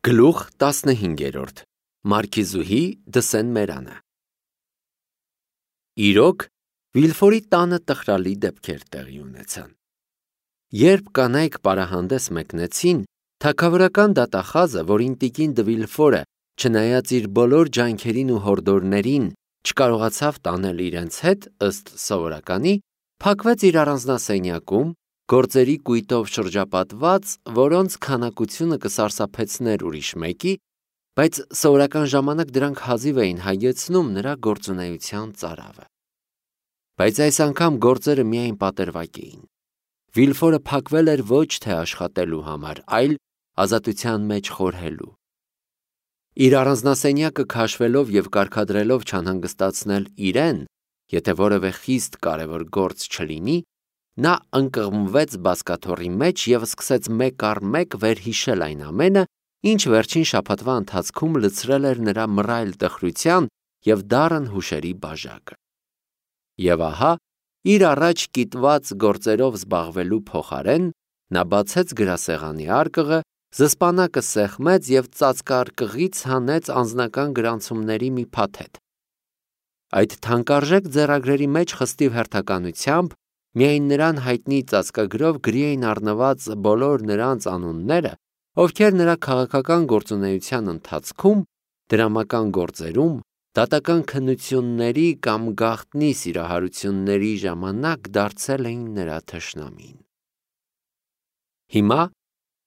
Գլուխ 15 Մարքիզուհի Դսեն-Մերանը Իրոք, Վիլֆորի տանը տխրալի դեպքեր տեղի ունեցան։ Երբ կանայք պարահանդես մեկնեցին, թագավորական դատախազը, որին տիկին Դը Վիլֆորը, չնայած իր բոլոր ջանքերին ու հորդորներին, չկարողացավ տանել իրենց հետ ըստ սովորականի, փակվեց իր առանձնասենյակում, գործերի կույտով շրջապատված, որոնց քանակությունը կսարսափեցներ ուրիշ մեկի, բայց սովորական ժամանակ դրանք հազիվ էին հայեցնում նրա գործունեության ծարավը։ Բայց այս անգամ գործերը միայն պատրվակ էին։ Վիլֆորը փակվել էր ոչ թե աշխատելու համար, այլ ազատության մեջ խորհելու։ Իր առանձնասենյակը քաշվելով և կարգադրելով չանհանգստացնել իրեն, եթե որևէ խիստ կարևոր գործ չլինի, նա ընկղմվեց բազկաթոռի մեջ և սկսեց մեկ առ մեկ վերհիշել այն ամենը, ինչ վերջին շաբաթվա ընթացքում լցրել էր նրա մռայլ տխրության և դառն հուշերի բաժակը։ Եվ ահա, իր առաջ կիտված գործերով զբաղվելու փոխարեն, նա բացեց գրասեղանի արկղը, զսպանակը սեղմեց և ծածկարկղից հանեց անձնական գրանցումների մի փաթեթ։ Այդ թանկարժեք ձեռագրերի մեջ խստիվ հերթականությամբ միայն նրան հայտնի ծածկագրով գրի էին առնված բոլոր նրանց անունները, ովքեր նրա քաղաքական գործունեության ընթացքում, դրամական գործերում, դատական քննությունների կամ գաղտնի սիրահարությունների ժամանակ դարձել էին նրա թշնամին։ Հիմա,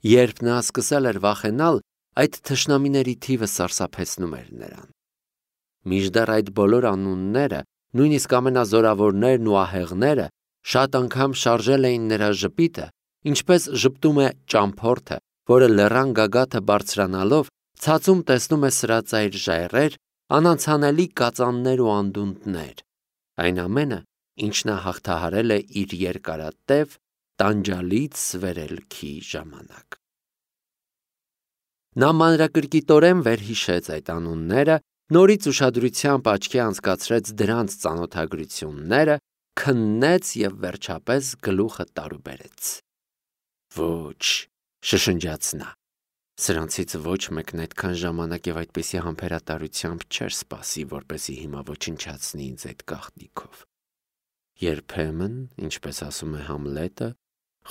երբ նա սկսել էր վախենալ, այդ թշնամիների թիվը սարսափեցնում էր նրան։ Մինչդեռ այդ բոլոր անունները, նույնիսկ ամենազորավորներն ու ահեղները, շատ անգամ շարժել էին նրա ժպիտը, ինչպես ժպտում է ճամփորդը, որը լեռան գագաթը բարձրանալով ցածում տեսնում է սրածայր ժայռեր, անանցանելի կածաններ ու անդունդներ, այն ամենը, ինչ նա հաղթահարել է իր երկարատև տանջալից վերելքի ժամանակ։ Նա մանրակրկիտորեն վերհիշեց այդ անունները, նորից ուշադրությամբ աչքի անցկացրեց դրանց ծանոթագրությունները, քննեց և վերջապես գլուխը տարուբերեց։ Ոչ, շշնջաց նա, սրանցից ոչ մեկն այդքան ժամանակ և այդպիսի համբերատարությամբ չէր սպասի, որպեսզի հիմա ոչնչացնի ինձ այդ գաղտնիքով։ Երբեմն, ինչպես ասում է Համլետը,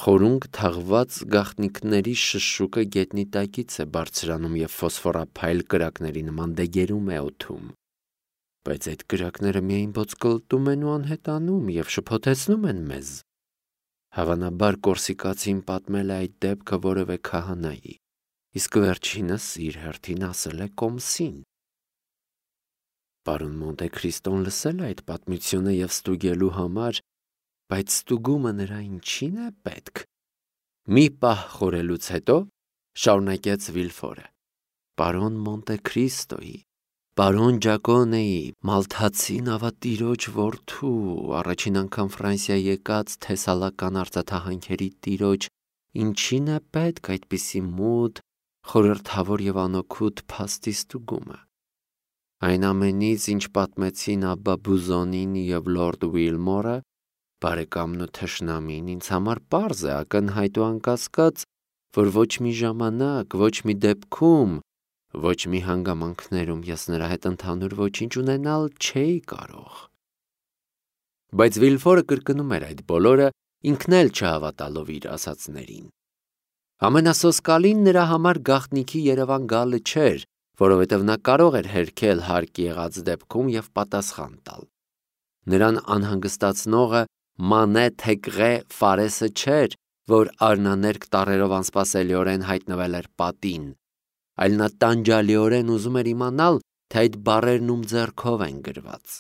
խորունգ թաղված գաղտնիքների շշուկը գետնի տակից է բարձրանում և ֆոսֆորափայլ կրակների նման դեգերում է օդում, բայց այդ կրակները միայն ոտկլտում են ու անհետանում և շփոթեցնում են մեզ։ Հավանաբար կորսիկացին պատմել է այդ դեպքը որևէ քահանայի, իսկ վերջինս իր հերթին ասել է կոմսին։ Պարոն Մոնտե Քրիստոն լսել է այդ պատմությունը և ստուգելու համար, բայց ստուգումը նրա ինչի՞ն է պետք։ Մի պահ խորելուց հետո շարունակեց Վիլֆորը. Պարոն Մոնտե Քրիստոյի, պարոն Ջակոնեի, Մալթացի նավատիրոջ որդու, առաջին անգամ Ֆրանսիա եկած թեսալական արծաթահանքերի տիրոջ, ինչի՞ն է պետք այդպիսի մութ, խորհրդավոր և անօգուտ փաստի ստուգումը։ Այն ամենից, ինչ պատմեցին Աբբա Բուզոնին և լորդ Ուիլմորը, բարեկամն ու թշնամին, ինձ համար պարզ է, ակնհայտ ու անկասկած, որ ոչ մի ժամանակ, ոչ մի դեպքում, ոչ մի հանգամանքներում ես նրա հետ ընդհանուր ոչինչ ունենալ չէի կարող։ Բայց Վիլֆորը կրկնում էր այդ բոլորը, ինքն էլ չհավատալով իր ասածներին։ Ամենասոսկալին նրա համար գաղտնիքի Երևան գալը չէր, որովհետև նա կարող էր հերքել հարկ եղած դեպքում և պատասխան տալ։ Նրան անհանգստացնողը Մանե Թեգրե Ֆարեսը չէր, որ արնաներկ տառերով անսպասելիորեն հայտնվել էր պատին, այլ նա տանջալիորեն ուզում էր իմանալ, թե այդ բառերն ում ձեռքով են գրված։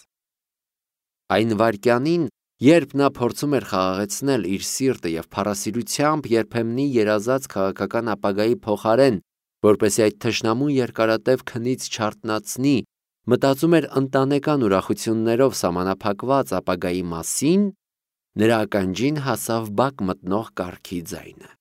Այն վայրկյանին, երբ նա փորձում էր խաղաղեցնել իր սիրտը և փառասիրությամբ երբեմնի երազած քաղաքական ապագայի փոխարեն, որպեսզի այդ թշնամուն երկարատև քնից չարթնացնի, մտածում էր ընտանեկան ուրախություններով սահմանափակված ապագայի մասին, նրա ականջին հասավ բակ մտնող կառքի ձայնը։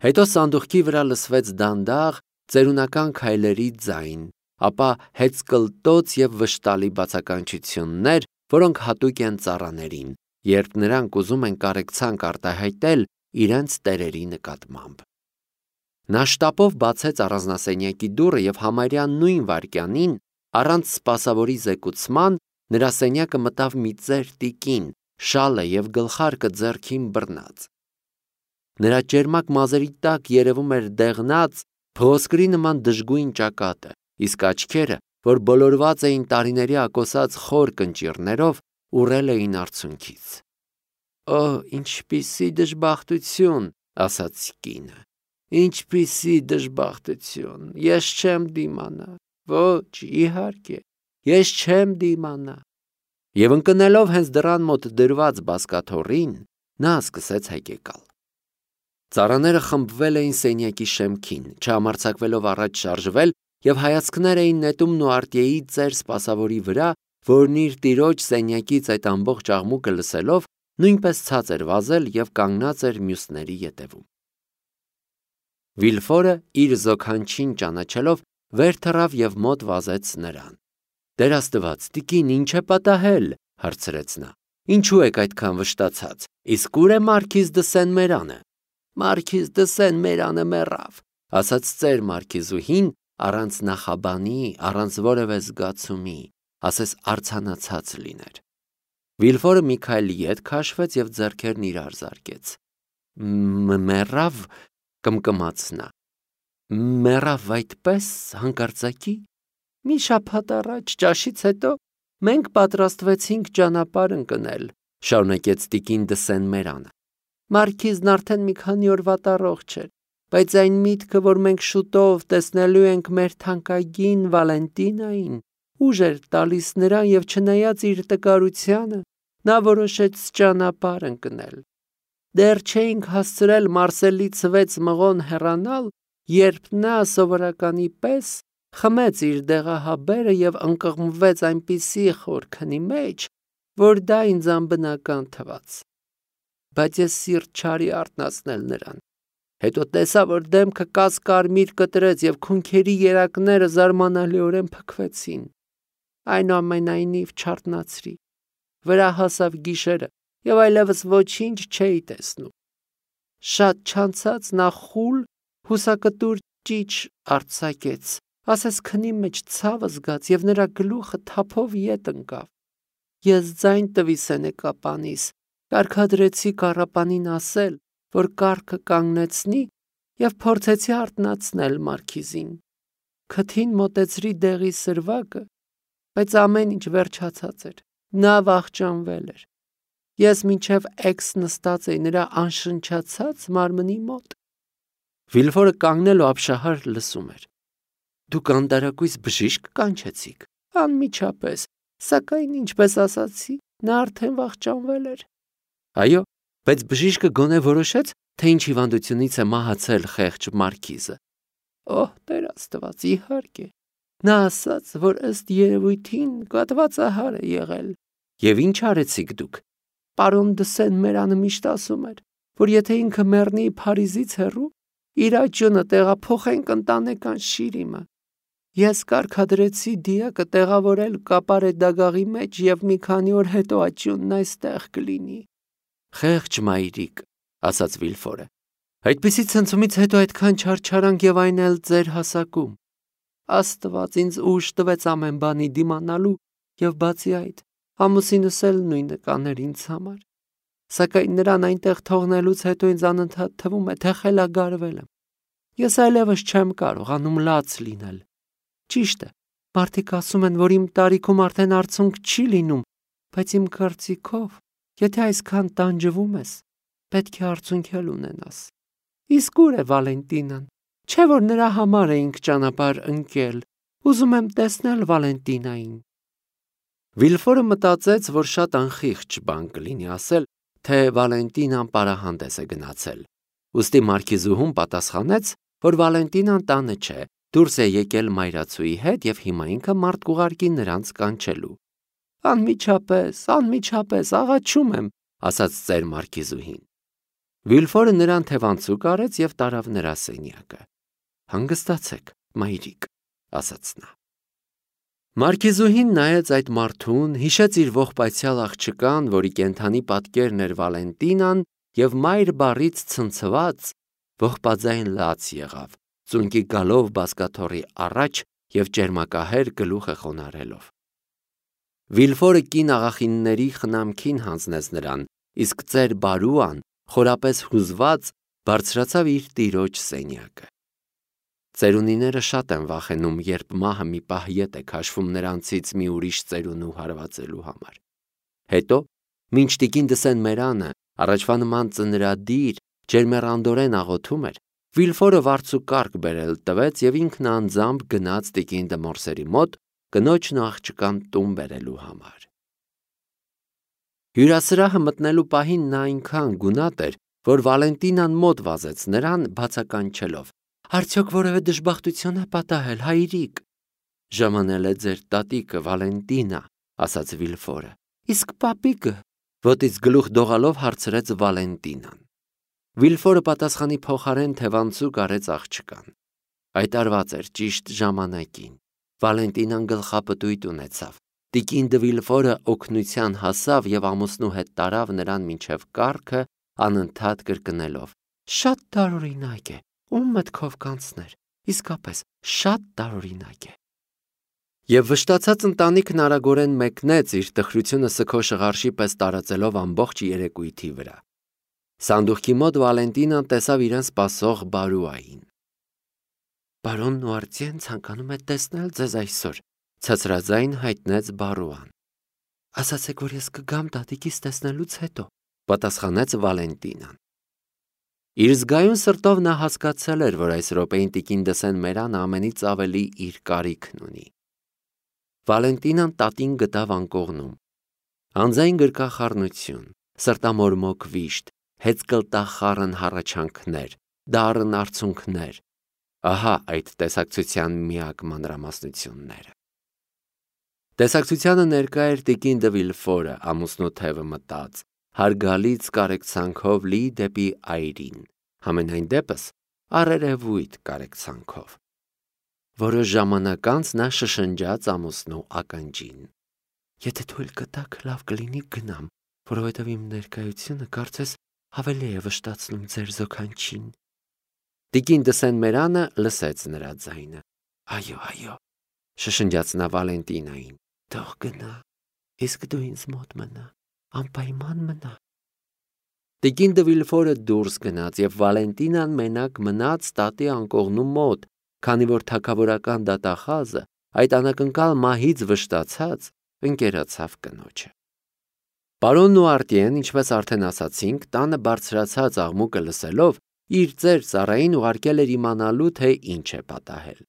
Հետո սանդուղքի վրա լսվեց դանդաղ, ծերունական քայլերի ձայն, ապա հեծկլտոց և վշտալի բացականչություններ, որոնք հատուկ են ծառաներին, երբ նրանք ուզում են կարեկցանք արտահայտել իրենց տերերի նկատմամբ։ Նա շտապով բացեց առանձնասենյակի դուռը եւ համարյա նույն վայրկյանին, առանց սպասավորի զեկուցման, նրա սենյակը մտավ մի ծեր տիկին, շալը եւ գլխարկը ձեռքին բռնած։ Նրա ճերմակ մազերի տակ երևում էր դեղնած, փղոսկրի նման դժգույն ճակատը, իսկ աչքերը, որ բոլորված էին տարիների ակոսած խոր կնճիռներով, ուռել էին արցունքից։ «Օ, ինչպիսի դժբախտություն», ասաց կինը։ «Ինչպիսի դժբախտություն, ես չեմ դիմանա, ոչ, իհարկե, ես չեմ դիմանա»։ Եվ ընկնելով հենց դռան մոտ դրված բազկաթոռին, նա սկսեց հայկեկալ։ Ծառաները խմբվել էին սենյակի շեմքին, չհամարձակվելով առաջ շարժվել, եւ հայացքներ էին նետում Նուարտիեի ծեր սպասավորի վրա, որն իր տիրոջ սենյակից այդ ամբողջ աղմուկը լսելով նույնպես ցած էր վազել եւ կանգնած էր մյուսների ետևում։ Վիլֆորը իր զոքանչին ճանաչելով վեր թռավ եւ մոտ վազեց նրան։ «Տեր Աստված, տիկին, ինչ է պատահել», հարցրեց նա։ «Ինչու եք այդքան վշտացած, իսկ ուր է Մարքիզ դը Սեն-Մերանը»։ «Մարքիզ դը Սեն-Մերանը մեռավ», ասաց ծեր մարքիզուհին, առանց նախաբանի, առանց որևէ զգացումի, ասես արձանացած լիներ։ Վիլֆորը մի քայլ ետ քաշվեց եւ ձեռքերն իրար զարկեց։ «Մեռավ», կմկմաց նա։ «Մեռավ այդպես հանկարծակի»։ Մի շաբաթ առաջ ճաշից հետո մենք պատրաստվեցինք ճանապարհ ընկնել, շարունակեց տիկին դը Սեն-Մերանը։ Մարքիզն արդեն մի քանի օր վատառողջ էր, բայց այն միտքը, որ մենք շուտով տեսնելու ենք մեր թանկագին Վալենտինային, ուժ էր տալիս նրան եւ չնայած իր տկարությանը, նա որոշեց ճանապարհ ընկնել։ Դեռ չէինք հասցրել Մարսելից 6 մղոն հեռանալ, երբ նա սովորականի պես խմեց իր դեղահաբերը եւ ընկղմվեց այնպիսի խոր քնի մեջ, որ դա ինձ անբնական թվաց։ Բայց ես սիրտ չարի արթնացնել նրան։ Հետո տեսա, որ դեմքը կասկարմիր կտրեց եւ քունքերի երակները զարմանալիորեն փքվեցին։ Այնուամենայնիվ չարթնացրի։ Վրա հասավ գիշերը եւ այլևս ոչինչ չէի տեսնում։ Շատ չանցած նա խուլ հուսակտուր ճիչ արձակեց, ասես քնի մեջ ցավը զգաց եւ նրա գլուխը թափով ետ ընկավ։ Ես ձայն տվի սենեկապանիս, կարգադրեցի կառապանին ասել, որ կառքը կանգնեցնի եւ փորձեցի արթնացնել Մարքիզին։ Քթին մոտեցրի դեղի սրվակը, բայց ամեն ինչ վերջացած էր։ Նա վախճանվել էր։ Ես մինչև էքս նստած էի նրա անշնչացած մարմնի մոտ։ Վիլֆորը կանգնել ու ապշահար լսում էր։ Դուք անտարակույս բժիշկ կանչեցիք։ Անմիջապես, սակայն ինչպես ասացի, նա արդեն վախճանվել էր։ Այո, բայց բժիշկը գոնե որոշեց, թե ինչ հիվանդությունից է մահացել խեղճ Մարքիզը։ Օհ, Տեր Աստված, իհարկե։ Նա ասաց, որ ըստ երևույթին կատվածահար է եղել։ Եվ ինչ արեցիք դուք։ Պարոն դը Սեն-Մերանը միշտ ասում էր, որ եթե ինքը մեռնի Փարիզից հեռու, իր աճյունը տեղափոխենք ընտանեկան շիրիմը։ Ես կարգադրեցի դիակը տեղավորել կապարե դագաղի մեջ եւ մի քանի օր հետո աճյունն այստեղ կլինի։ Խեղճ մայրիկ, ասաց Վիլֆորը։ Այդպիսի ցնցումից հետո այդքան չարչարանք եւ այն էլ ձեր հասակում։ Աստված ինձ ուժ տվեց ամեն բանի դիմանալու եւ բացի այդ, ամուսինս էլ նույնը կաներ ինձ համար։ Սակայն նրան այնտեղ թողնելուց հետո ինձ անընդհատ թվում է, թե խելագարվել եմ։ Ես այլևս չեմ կարողանում լաց լինել։ Ճիշտ է, մարդիկ ասում են, որ իմ տարիքում արդեն արցունք չի լինում, բայց իմ կարծիքով, եթե այսքան տանջվում ես, պետք է արցունք էլ ունենաս։ Իսկ ուր է Վալենտինան։ Չէ՞ որ նրա համար էինք ճանապարհ ընկել։ Ուզում եմ տեսնել Վալենտինային։ Վիլֆորը մտածեց, որ շատ անխիղճ բան կլինի ասել, թե Վալենտինան պարահանդես է գնացել։ Ուստի մարքիզուհուն պատասխանեց, որ Վալենտինան տանը չէ, դուրս է եկել մայրացուի հետ եւ հիմա ինքը մարդ կուղարկի նրանց կանչելու։ Անմիջապես, աղաչում եմ, ասաց ծեր մարքիզուհին։ Վիլֆորը նրան թևանցուկ արեց եւ տարավ նրա սենյակը։ Հանգստացեք, մայրիկ, ասաց նա։ Մարքիզուհին նայեց այդ մարդուն, հիշեց իր ողբայցյալ աղջկան, որի կենդանի պատկերն էր Վալենտինան, եւ մայր բառից ցնցված ողբաձայն լաց եղավ, ծունկի գալով բազկաթոռի առաջ և ճերմակահեր գլուխը խոնարհելով։ Վիլֆորը կին աղախինների խնամքին հանձնեց նրան, իսկ ծեր Բարուան, խորապես հուզված, բարձրացավ իր տիրոջ սենյակը։ Ծերունիները շատ են վախենում, երբ մահը մի պահ ետ է քաշվում նրանցից մի ուրիշ ծերունու հարվածելու համար։ Հետո, մինչ տիկին Դսեն Մերանը առաջվա նման ծնրադիր, ջերմեռանդորեն աղոթում էր, Վիլֆորը վարձուկարգ բերել տվեց և ինքն անձամբ գնաց տիկին Դմորսերի մոտ կնոջն ու աղջկան տուն բերելու համար։ Հյուրասրահը մտնելու պահին նա այնքան գունատ էր, որ Վալենտինան մոտ վազեց նրան, բացականչելով. «Արդյոք որևէ դժբախտություն է պատահել, հայրիկ»։ «Ժամանել է ձեր տատիկը, Վալենտինա», ասաց Վիլֆորը։ «Իսկ պապիկը»։ Ոտից գլուխ դողալով հարցրեց Վալենտինան։ Վիլֆորը պատասխանի փոխարեն թևանցուկ արեց աղջկան։ Այտարված էր ճիշտ ժամանակին։ Վալենտինան գլխապտույտ ունեցավ։ Տիկին Դը Վիլֆորը օգնության հասավ և ամուսնու հետ տարավ նրան մինչև կառքը, անընդհատ կրկնելով. «Շատ տարօրինակ է, ում մտքով կանցներ, իսկապես շատ տարօրինակ է»։ Եվ վշտացած ընտանիքն արագորեն մեկնեց, իր տխրությունը սգո շղարշի պես տարածելով ամբողջ երեկույթի վրա։ Սանդուղքի մոտ Վալենտինան տեսավ իրեն սպասող Բարուային։ «Բարոն Նուարտիեն ցանկանում է տեսնել ձեզ այսօր», ցածրաձայն հայտնեց Բարուան։ «Ասացեք, որ ես կգամ տատիկիս տեսնելուց հետո», պատասխանեց Վալենտինան։ Իր զգայուն սրտով նա հասկացել էր, որ այս րոպեին տիկին Դսեն Մերանը ամենից ավելի իր կարիքն ունի։ Վալենտինան տատին գտավ անկողնում։ Անձայն գրկախառնություն, սրտամորմոք վիշտ, հեծկլտախառն հառաչանքներ, դառն արցունքներ։ Ահա այդ տեսակցության միակ մանրամասնությունները։ Տեսակցությանը ներկա էր տիկին Դը Վիլֆորը, ամուսնու թևը մտած, հարգալից կարեկցանքով լի դեպի այրին, համենայն դեպս առերևույթ կարեկցանքով։ Որոշ ժամանակ անց նա շշնջաց ամուսնու ականջին. «Եթե թույլ կտաք, լավ կլինի գնամ, որովհետև իմ ներկայությունը կարծես ավելի է վշտացնում ձեր զոքանչին»։ Տիկին Դսեն Մերանը լսեց նրա ձայնը։ «Այո», շշնջաց նա Վալենտինային, «թող գնա, իսկ դու ինձ մոտ մնա, անպայման մնա»։ Տիկին Դը Վիլֆորը դուրս գնաց, և Վալենտինան մենակ մնաց տատի անկողնու մոտ, քանի որ թագավորական դատախազը, այդ անակնկալ մահից վշտացած, ընկերացավ կնոջը։ Պարոն Նուարտիեն, ինչպես արդեն ասացինք, տանը բարձրացած աղմուկը լսելով, իր ծեր ծառային ուղարկել էր իմանալու, թե ինչ է պատահել։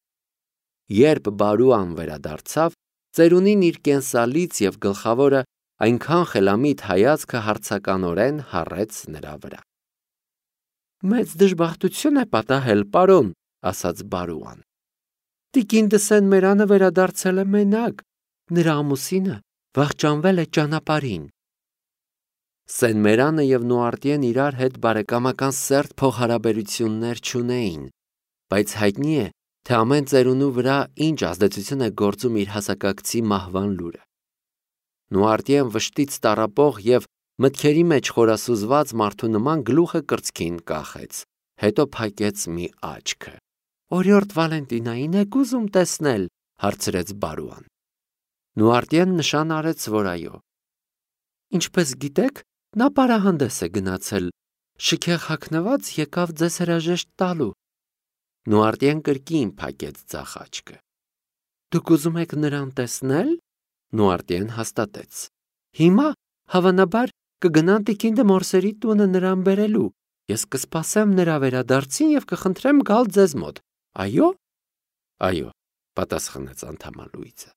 Երբ Բարուան վերադարձավ, ծերունին իր կենսալից և գլխավորը այնքան խելամիտ հայացքը հարցականորեն հառեց նրա վրա։ «Մեծ դժբախտություն է պատահել, պարոն», ասաց Բարուան։ «Տիկին Դսեն Մերանը վերադարձել է մենակ, նրա ամուսինը վախճանվել է ճանապարհին»։ Սեն Մերանը և Նուարտիեն իրար հետ բարեկամական սերտ փոխհարաբերություններ չունեին, բայց հայտնի է, թե ամեն ծերունու վրա ինչ ազդեցություն է գործում իր հասակակցի մահվան լուրը։ Նուարտիեն վշտից տառապող և մտքերի մեջ խորասուզված մարդու նման գլուխը կրծքին կախեց, հետո փակեց մի աչքը։ «Օրիորդ Վալենտինային եք ուզում տեսնել», հարցրեց Բարուան։ Նուարտիեն նշան արեց, որ այո։ «Ինչպես գիտեք, նա պարահանդես է գնացել, շքեղ հագնված եկավ ձեզ հրաժեշտ տալու»։ Նուարտիեն կրկին փակեց ձախ աչքը։ «Դուք ուզում եք նրան տեսնել»։ Նուարտիեն հաստատեց։ «Հիմա, հավանաբար, կգնան տիկին Դը Մորսերի տունը նրան բերելու։ Ես կսպասեմ նրա վերադարձին և կխնդրեմ գալ ձեզ մոտ, այո»։ «Այո», պատասխանեց անդամալույձը։